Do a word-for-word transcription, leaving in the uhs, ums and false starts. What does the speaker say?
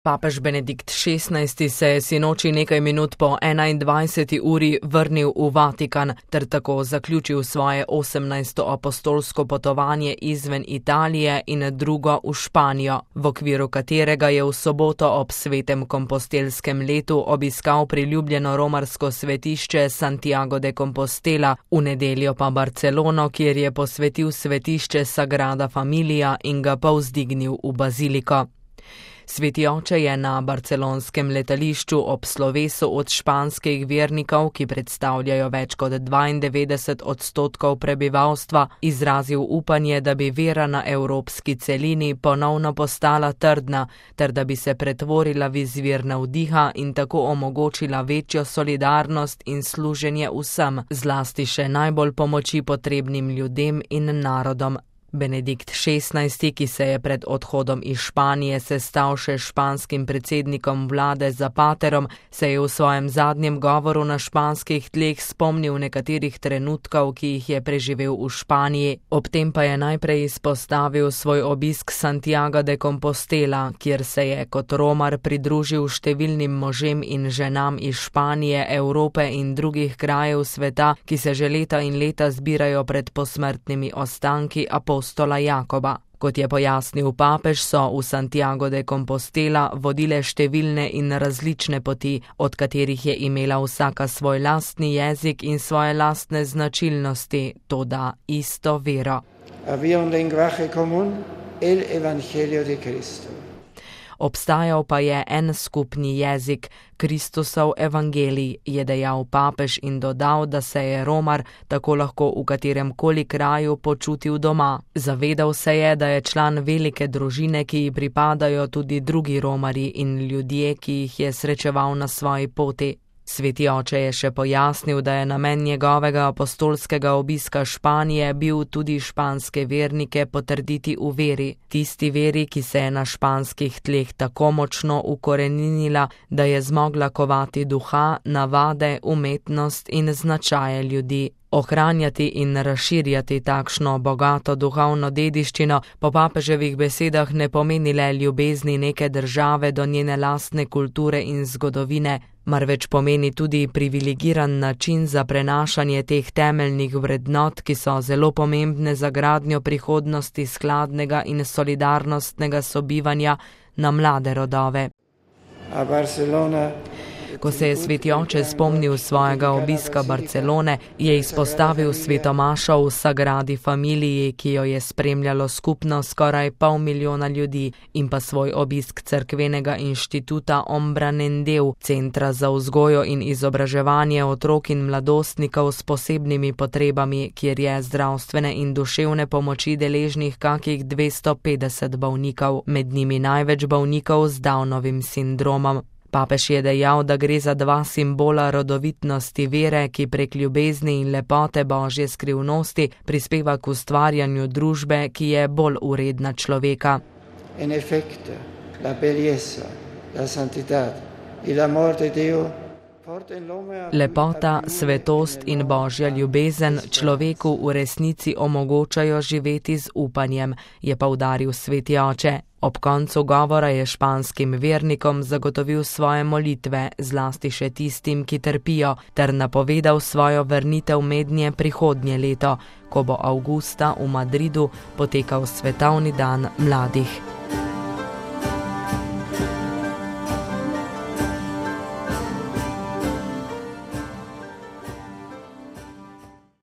Papež Benedikt šestnajsti se je sinoči nekaj minut po enaindvajseti uri vrnil v Vatikan ter tako zaključil svoje osemnajsto apostolsko potovanje izven Italije in drugo v Španijo, v okviru katerega je v soboto ob svetem kompostelskem letu obiskal priljubljeno romarsko svetišče Santiago de Compostela, v nedeljo pa Barcelono, kjer je posvetil svetišče Sagrada Familia in ga povzdignil v baziliko. Sveti oče je na barcelonskem letališču ob slovesu od španskih vernikov, ki predstavljajo več kot dvaindevetdeset odstotkov prebivalstva, izrazil upanje, da bi vera na evropski celini ponovno postala trdna, ter da bi se pretvorila v izvir navdiha in tako omogočila večjo solidarnost in služenje vsem, zlasti še najbolj pomoči potrebnim ljudem in narodom. Benedikt šestnajsti, ki se je pred odhodom iz Španije sestal še s španskim predsednikom vlade Zapaterom, se je v svojem zadnjem govoru na španskih tleh spomnil nekaterih trenutkov, ki jih je preživel v Španiji. Ob tem pa je najprej izpostavil svoj obisk Santiaga de Compostela, kjer se je kot romar pridružil številnim možem in ženam iz Španije, Evrope in drugih krajev sveta, ki se že leta in leta zbirajo pred posmrtnimi ostanki apostola Jakoba. Kot je pojasnil papež, so v Santiago de Compostela vodile številne in različne poti, od katerih je imela vsaka svoj lastni jezik in svoje lastne značilnosti, toda isto vero. Había un lenguaje común, el Evangelio de Cristo. Obstajal pa je en skupni jezik, Kristusov evangelij, je dejal papež in dodal, da se je romar tako lahko v katerem koli kraju počutil doma. Zavedal se je, da je član velike družine, ki ji pripadajo tudi drugi romarji in ljudje, ki jih je srečeval na svoji poti. Sveti oče je še pojasnil, da je namen njegovega apostolskega obiska Španije bil tudi španske vernike potrditi v veri, tisti veri, ki se je na španskih tleh tako močno ukoreninila, da je zmogla kovati duha, navade, umetnost in značaje ljudi. Ohranjati in razširjati takšno bogato duhovno dediščino po papeževih besedah ne pomeni le ljubezni neke države do njene lastne kulture in zgodovine, marveč pomeni tudi privilegiran način za prenašanje teh temeljnih vrednot, ki so zelo pomembne za gradnjo prihodnosti skladnega in solidarnostnega sobivanja na mlade rodove. A Barcelona. Ko se je sveti oče spomnil svojega obiska Barcelone, je izpostavil svetomašo v Sagradi Familiji, ki jo je spremljalo skupno skoraj pol milijona ljudi, in pa svoj obisk cerkvenega inštituta Ombra Nendeu, centra za vzgojo in izobraževanje otrok in mladostnikov s posebnimi potrebami, kjer je zdravstvene in duševne pomoči deležnih kakih dvesto petdeset bolnikov, med njimi največ bolnikov z Downovim sindromom. Papež je dejal, da gre za dva simbola rodovitnosti vere, ki prek ljubezni in lepote Božje skrivnosti prispeva k ustvarjanju družbe, ki je bolj uredna človeka. En efecto, la belleza, la santidad y el amor de Dios. Lepota, svetost in Božja ljubezen človeku v resnici omogočajo živeti z upanjem, je poudaril sveti oče. Ob koncu govora je španskim vernikom zagotovil svoje molitve, zlasti še tistim, ki trpijo, ter napovedal svojo vrnitev mednje prihodnje leto, ko bo avgusta v Madridu potekal svetovni dan mladih.